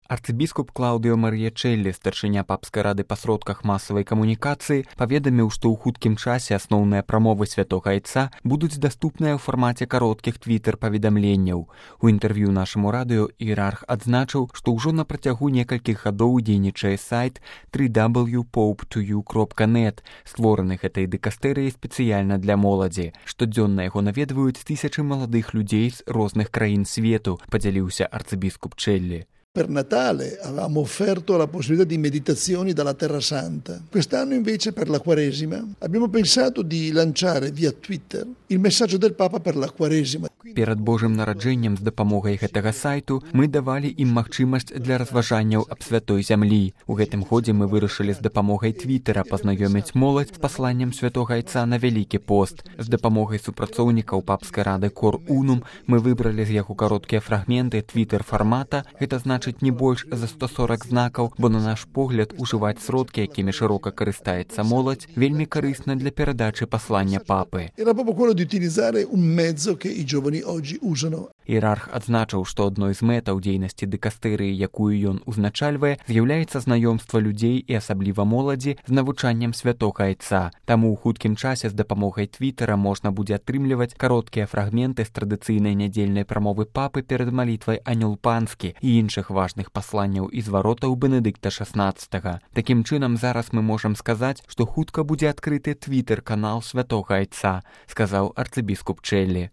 Арцыбіскуп Клаўдыо Мар'ячэллі, старшыня папскай рады па сродках масавай камунікацыі, паведаміў, што ў хуткім часе асноўныя прамовы святога айца будуць даступныя ў фармаце кароткіх твітэр-паведамленняў. У інтэрв'ю нашаму радыё іерарх адзначыў, што ўжо на працягу некалькіх гадоў дзейнічае сайт www.pope2u.net, створаны гэтай дыкастэрыяй спецыяльна для моладзі. Штодзённа яго наведваюць тысячы маладых людзей з розных краін свету, падзяліўся арцыбіскуп Чэллі. Per Natale avevamo offerto la possibilità di meditazioni dalla Terra Santa. Quest'anno invece per la Quaresima abbiamo pensato di lanciare via Twitter il messaggio del Papa per la Quaresima. Перад Божым нараджэннем з дапамогай гэтага сайту мы давалі ім магчымасць для разважанняў аб святой зямлі. У гэтым годзе мы вырашылі з дапамогай Твіттера пазнаёміць моладзь з пасланнем святога айца на Вялікі пост. З дапамогай супрацоўнікаў папскай рады Cor Unum мы выбралі з яго кароткія фрагменты Твіттер-фармата, гэта значыць не больш за 140 знакаў, бо на наш погляд ужываць сродкі, якімі шырока карыстаецца моладзь, вельмі карысна для перадачы паслання папы. Era proprio quello di utilizzare un mezzo che i giovani oggi usano. Іерарх адзначыў, што адной з мэтаў дзейнасці дыкастэрыі, якую ён узначальвае, з'яўляецца знаёмства людзей і асабліва моладзі з навучаннем святога айца. Таму ў хуткім часе з дапамогай Твіттера можна будзе атрымліваць кароткія фрагменты з традыцыйнай нядзельнай прамовы папы перад малітвай Анёл Панскі і іншых важных пасланняў і зваротаў Бенедыкта XVI. Такім чынам, зараз мы можам сказаць, што хутка будзе адкрыты Твіттер-канал святога айца, сказаў арцыбіскуп Чэллі.